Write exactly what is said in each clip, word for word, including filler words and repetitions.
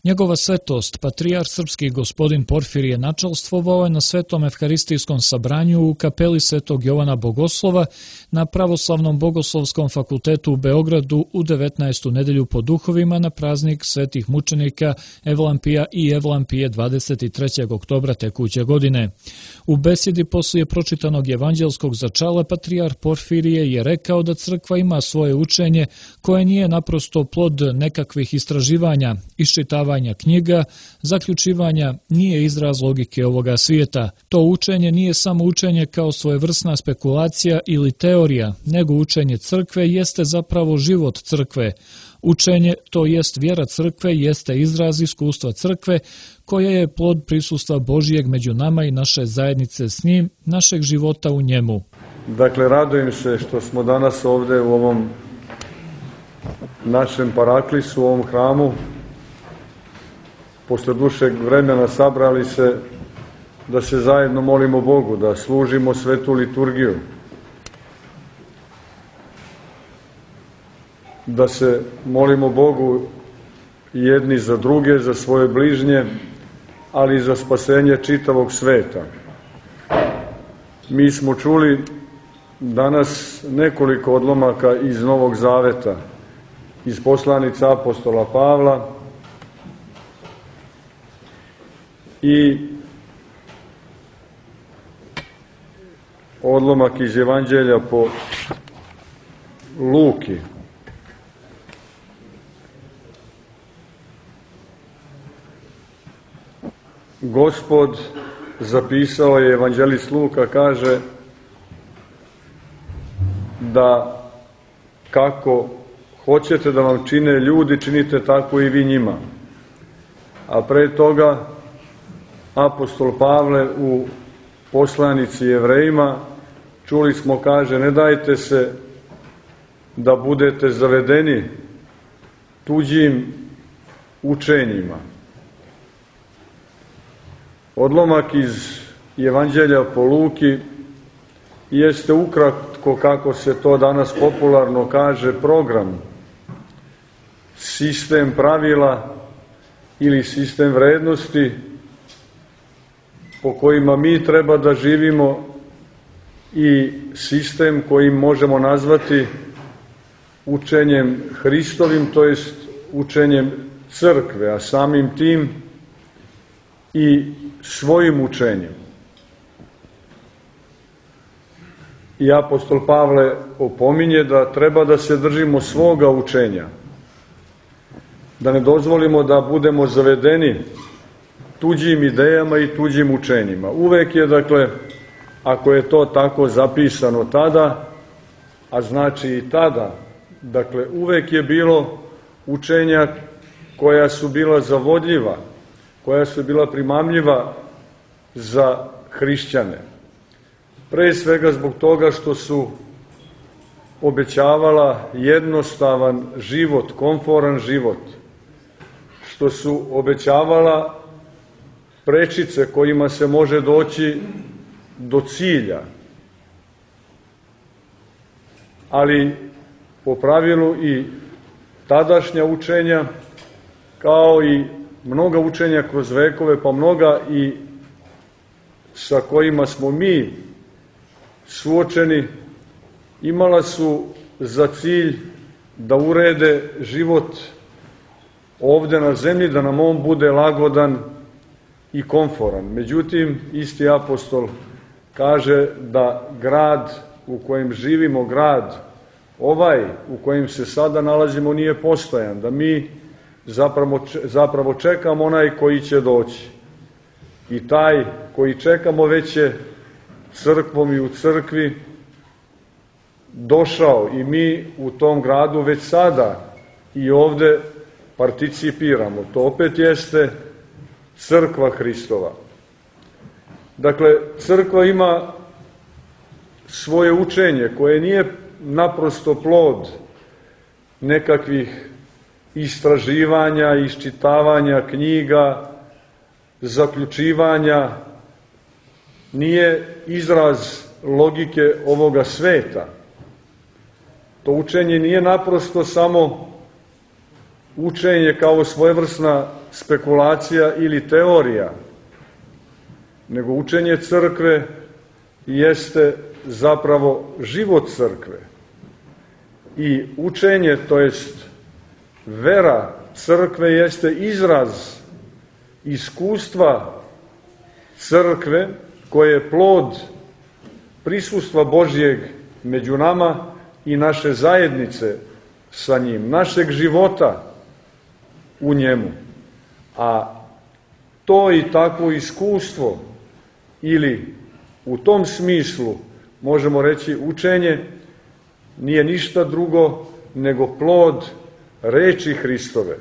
Njegova svetost, patrijarh srpski gospodin Porfirije načelstvovao je na Svetom evharistijskom sabranju u kapeli Svetog Jovana Bogoslova na Pravoslavnom bogoslovskom fakultetu u Beogradu u devetnaestu nedelju po duhovima na praznik svetih mučenika Evlampija i Evlampije dvadeset trećeg oktobra tekuće godine. U besjedi poslije pročitanog evanđelskog začala patrijarh Porfirije je rekao da crkva ima svoje učenje koje nije naprosto plod nekakvih istraživanja, iščitavanja knjiga, zaključivanja, nije izraz logike ovoga svijeta. To učenje nije samo učenje kao svojevrsna spekulacija ili teorija, nego učenje crkve jeste zapravo život crkve. Učenje, to jest vjera crkve, jeste izraz iskustva crkve, koje je plod prisustva Božijeg među nama i naše zajednice s njim, našeg života u njemu. Dakle, radujem se što smo danas ovdje u ovom našem paraklisu, u ovom hramu, posle dušeg vremena sabrali se da se zajedno molimo Bogu, da služimo svetu liturgiju, da se molimo Bogu jedni za druge, za svoje bližnje, ali i za spasenje čitavog sveta. Mi smo čuli danas nekoliko odlomaka iz Novog Zaveta, iz poslanice apostola Pavla i odlomak iz Evanđelja po Luki. Gospod zapisao je, evanđelist Luka kaže da kako hoćete da vam čine ljudi, činite tako i vi njima. A pre toga apostol Pavle u poslanici Jevrejima, čuli smo, kaže, ne dajte se da budete zavedeni tuđim učenjima. Odlomak iz Evanđelja po Luki jeste ukratko, kako se to danas popularno kaže, program, sistem pravila ili sistem vrednosti po kojima mi treba da živimo i sistem kojim možemo nazvati učenjem Hristovim, to jest učenjem crkve, a samim tim i svojim učenjem. I apostol Pavle opominje da treba da se držimo svoga učenja, da ne dozvolimo da budemo zavedeni tuđim idejama i tuđim učenjima. Uvek je, dakle, ako je to tako zapisano tada, a znači i tada, dakle, uvek je bilo učenja koja su bila zavodljiva, koja su bila primamljiva za hrišćane. Pre svega zbog toga što su obećavala jednostavan život, komforan život, što su obećavala prečice kojima se može doći do cilja. Ali po pravilu i tadašnja učenja, kao i mnoga učenja kroz vekove, pa mnoga i sa kojima smo mi suočeni, imala su za cilj da urede život ovde na zemlji, da nam on bude lagodan i komforan. Međutim, isti apostol kaže da grad u kojem živimo, grad ovaj u kojem se sada nalazimo, nije postojan, da mi zapravo, zapravo čekamo onaj koji će doći. I taj koji čekamo već je crkvom i u crkvi došao i mi u tom gradu već sada i ovde participiramo. To opet jeste crkva Hristova. Dakle, crkva ima svoje učenje koje nije naprosto plod nekakvih istraživanja, iščitavanja knjiga, zaključivanja, nije izraz logike ovoga sveta. To učenje nije naprosto samo učenje kao svojevrsna spekulacija ili teorija, nego učenje crkve jeste zapravo život crkve. I učenje, to jest vera crkve, jeste izraz iskustva crkve koje je plod prisustva Božjeg među nama i naše zajednice sa njim, našeg života u njemu. A to i takvo iskustvo, ili u tom smislu možemo reći učenje, nije ništa drugo nego plod reči Hristove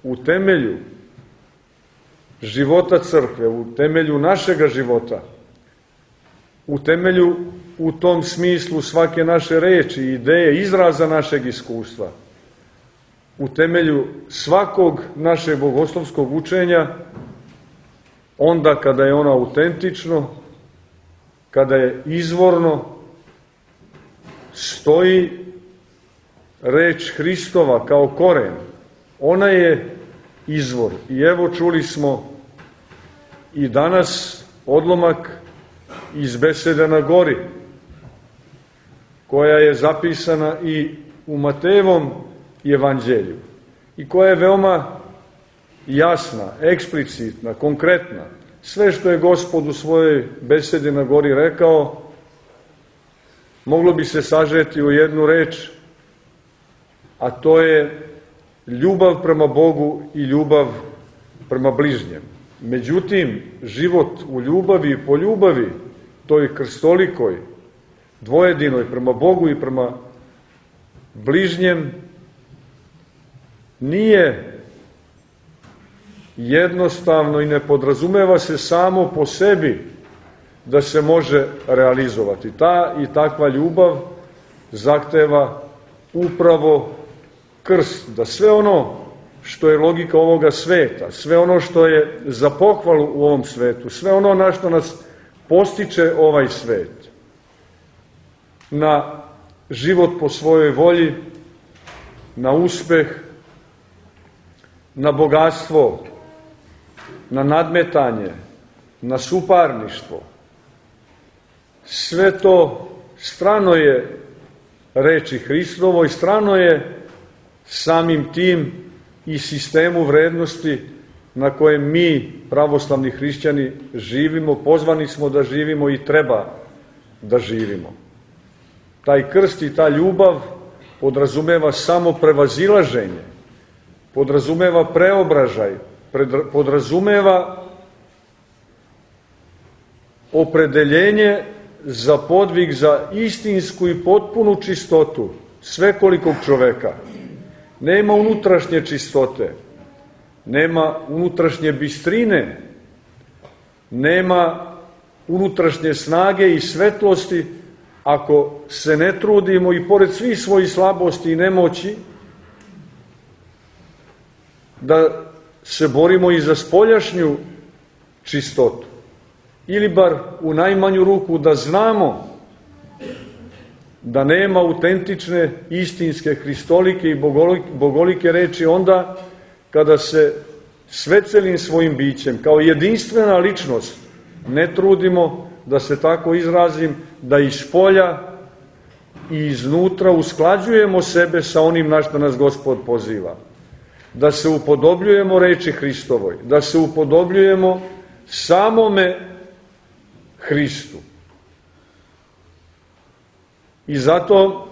u temelju života crkve, u temelju našega života, u temelju u tom smislu svake naše reči, ideje, izraza našeg iskustva, u temelju svakog našeg bogoslovskog učenja, onda kada je ono autentično, kada je izvorno, stoji reč Hristova kao koren. Ona je izvor. I evo čuli smo i danas odlomak iz besede na gori, koja je zapisana i u Matejevom evanđelju i koja je veoma jasna, eksplicitna, konkretna. Sve što je Gospod u svojoj besedi na gori rekao, moglo bi se sažeti u jednu reč, a to je ljubav prema Bogu i ljubav prema bližnjem. Međutim, život u ljubavi i po ljubavi, toj krstolikoj, dvojedinoj, prema Bogu i prema bližnjem, nije jednostavno i ne podrazumeva se samo po sebi da se može realizovati. Ta i takva ljubav zahteva upravo krst, da sve ono što je logika ovoga sveta, sve ono što je za pohvalu u ovom svetu, sve ono na što nas postiče ovaj svet, na život po svojoj volji, na uspeh, na bogatstvo, na nadmetanje, na suparništvo. Sve to strano je reči Hristovoj, strano je samim tim i sistemu vrednosti na kojem mi, pravoslavni hrišćani, živimo, pozvani smo da živimo i treba da živimo. Taj krst i ta ljubav podrazumeva samo prevazilaženje, podrazumeva preobražaj, podrazumeva opredeljenje za podvig, za istinsku i potpunu čistotu svekolikog čoveka. Nema unutrašnje čistote, nema unutrašnje bistrine, nema unutrašnje snage i svetlosti ako se ne trudimo i pored svih svojih slabosti i nemoći da se borimo i za spoljašnju čistotu. Ili bar u najmanju ruku da znamo da nema autentične, istinske, hristolike i bogolike reči onda kada se sve celim svojim bićem, kao jedinstvena ličnost, ne trudimo, da se tako izrazim, da iz polja i iznutra usklađujemo sebe sa onim na što nas Gospod poziva. Da se upodobljujemo reči Hristovoj, da se upodobljujemo samome Hristu. I zato,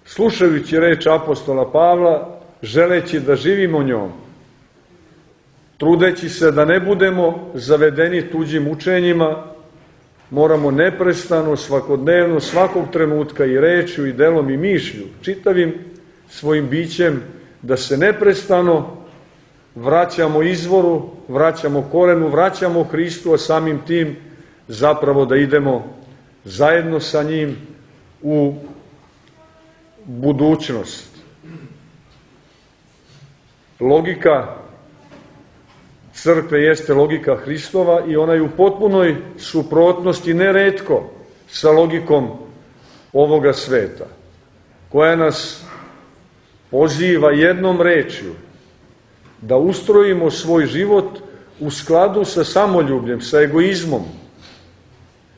slušajući reč apostola Pavla, želeći da živimo njom, trudeći se da ne budemo zavedeni tuđim učenjima, moramo neprestano, svakodnevno, svakog trenutka i rečju i delom i mišlju, čitavim svojim bićem, da se neprestano vraćamo izvoru, vraćamo korenu, vraćamo Hristu, a samim tim zapravo da idemo zajedno sa njim u budućnost. Logika crkve jeste logika Hristova i ona je u potpunoj suprotnosti neretko sa logikom ovoga sveta, koja nas poziva jednom rečju da ustrojimo svoj život u skladu sa samoljubljem, sa egoizmom,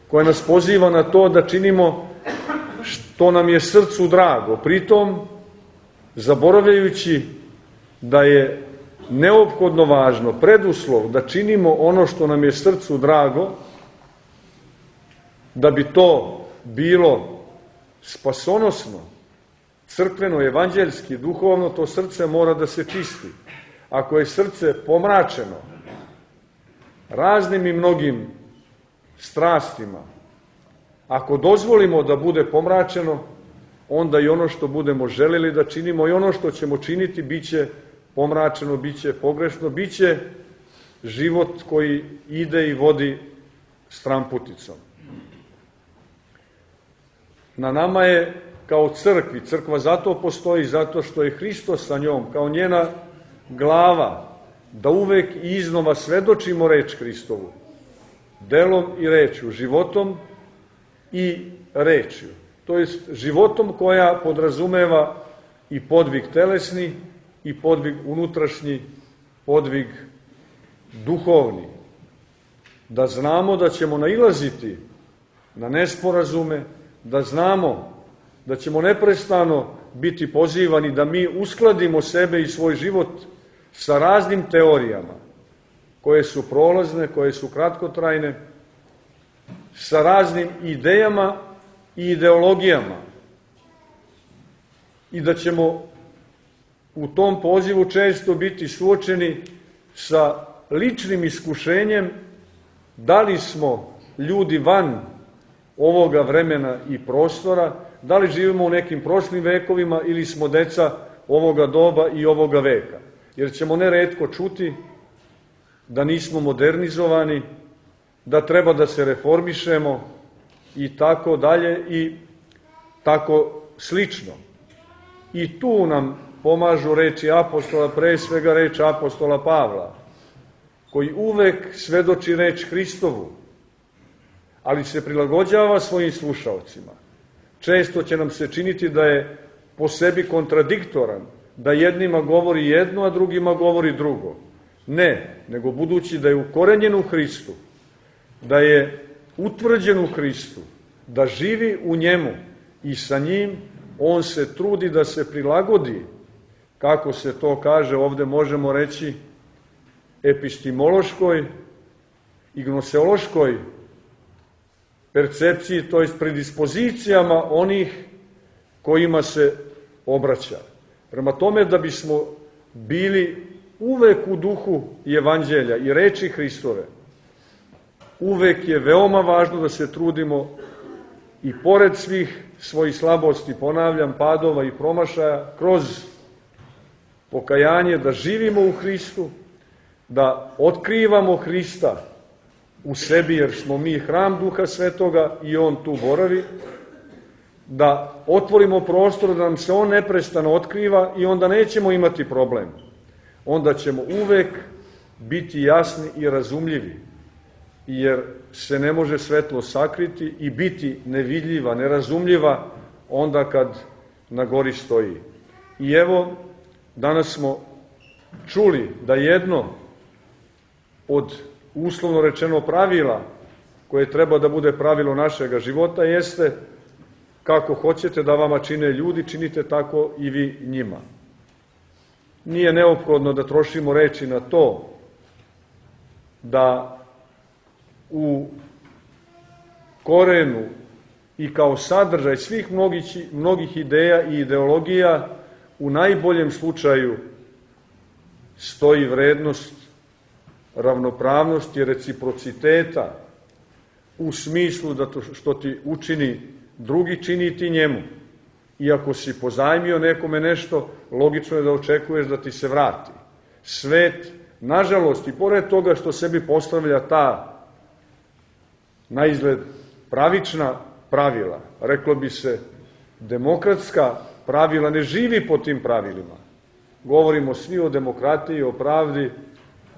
koja nas poziva na to da činimo što nam je srcu drago, pritom zaboravljajući da je neophodno važno, preduslov da činimo ono što nam je srcu drago, da bi to bilo spasonosno, crkveno, evanđeljski, duhovno, to srce mora da se čisti. Ako je srce pomračeno raznim i mnogim strastima, ako dozvolimo da bude pomračeno, onda i ono što budemo želeli da činimo i ono što ćemo činiti biće pomračeno, biće pogrešno, biće život koji ide i vodi stramputicom. Na nama je kao crkvi, crkva zato postoji, zato što je Hristos sa njom, kao njena glava, da uvek i iznova svedočimo reč Hristovu, delom i rečju, životom i rečju. To jest životom koja podrazumeva i podvig telesni, i podvig unutrašnji, podvig duhovni. Da znamo da ćemo nailaziti na nesporazume, da znamo da ćemo neprestano biti pozivani da mi uskladimo sebe i svoj život sa raznim teorijama, koje su prolazne, koje su kratkotrajne, sa raznim idejama i ideologijama. I da ćemo u tom pozivu često biti suočeni sa ličnim iskušenjem da li smo ljudi van ovoga vremena i prostora, da li živimo u nekim prošlim vekovima ili smo deca ovoga doba i ovoga veka. Jer ćemo neretko čuti da nismo modernizovani, da treba da se reformišemo i tako dalje i tako slično. I tu nam pomažu reči apostola, pre svega reč apostola Pavla, koji uvek svedoči reč Hristovu, ali se prilagođava svojim slušaocima. Često će nam se činiti da je po sebi kontradiktoran, da jednima govori jedno, a drugima govori drugo. Ne, nego budući da je ukorenjen u Hristu, da je utvrđen u Hristu, da živi u njemu i sa njim, on se trudi da se prilagodi, kako se to kaže, ovde možemo reći, epistemološkoj i gnoseološkoj percepciji, to jest predispozicijama onih kojima se obraća. Prema tome, da bismo bili uvek u duhu evanđelja i reči Hristove, uvek je veoma važno da se trudimo i pored svih svojih slabosti, ponavljam, padova i promašaja, kroz pokajanje da živimo u Hristu, da otkrivamo Hrista u sebi, jer smo mi hram Duha Svetoga i on tu boravi, da otvorimo prostor da nam se on neprestano otkriva i onda nećemo imati problem. Onda ćemo uvek biti jasni i razumljivi, jer se ne može svetlo sakriti i biti nevidljiva, nerazumljiva onda kad na gori stoji. I evo, danas smo čuli da jedno od uslovno rečeno pravila koje treba da bude pravilo našega života jeste kako hoćete da vama čine ljudi, činite tako i vi njima. Nije neophodno da trošimo reči na to da u korenu i kao sadržaj svih mnogih, mnogih ideja i ideologija u najboljem slučaju stoji vrednost ravnopravnosti i reciprociteta u smislu da to što ti učini drugi, čini ti njemu. I ako si pozajmio nekome nešto, logično je da očekuješ da ti se vrati. Svet, nažalost, i pored toga što sebi postavlja ta na izgled pravična pravila, reklo bi se demokratska pravila, ne živi po tim pravilima. Govorimo svi o demokratiji, o pravdi,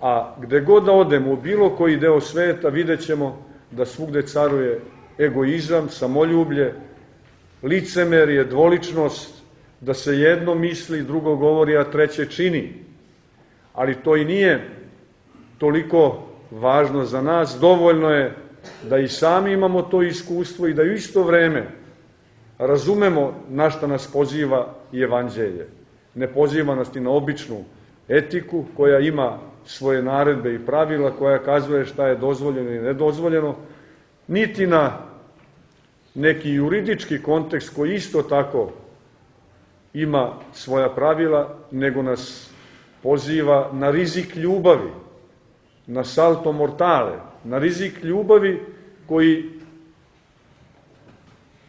a gde god da odemo u bilo koji deo sveta, vidjet ćemo da svugde caruje egoizam, samoljublje, licemerje, dvoličnost, da se jedno misli, drugo govori, a treće čini. Ali to i nije toliko važno za nas. Dovoljno je da i sami imamo to iskustvo i da u isto vreme razumemo na šta nas poziva i evanđelje. Ne poziva nas ni na običnu etiku koja ima svoje naredbe i pravila, koja kazuje šta je dozvoljeno i nedozvoljeno, niti na neki juridički kontekst koji isto tako ima svoja pravila, nego nas poziva na rizik ljubavi, na salto mortale, na rizik ljubavi koji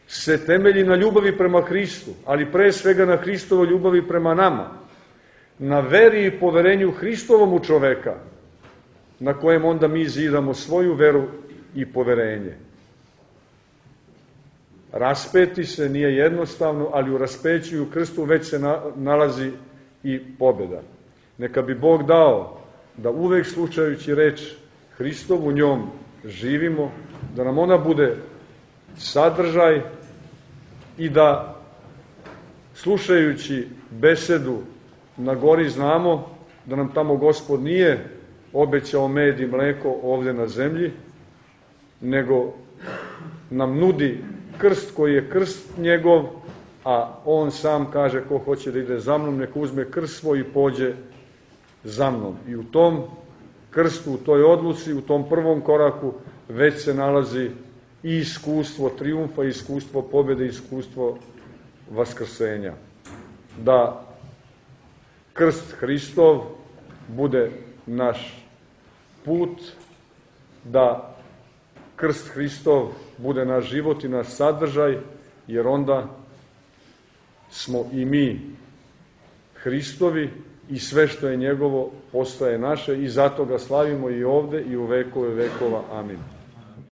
se temelji na ljubavi prema Hristu, ali pre svega na Hristovoj ljubavi prema nama, na veri i poverenju Hristovom u čoveka, na kojem onda mi zidamo svoju veru i poverenje. Raspeti se nije jednostavno, ali u raspeću i u krstu već se nalazi i pobjeda. Neka bi Bog dao da uvek slušajući reč Hristovu njom živimo, da nam ona bude sadržaj i da slušajući besedu na gori znamo da nam tamo Gospod nije obećao med i mleko ovde na zemlji, nego nam nudi krst koji je krst njegov, a on sam kaže ko hoće da ide za mnom, neka uzme krst svoj i pođe za mnom. I u tom krstu, u toj odluci, u tom prvom koraku već se nalazi i iskustvo trijumfa, i iskustvo pobjede, i iskustvo vaskrsenja. Da krst Hristov bude naš put, da krst Hristov bude naš život i naš sadržaj, jer onda smo i mi Hristovi i sve što je njegovo postaje naše i zato ga slavimo i ovde i u vekove vekova. Amin.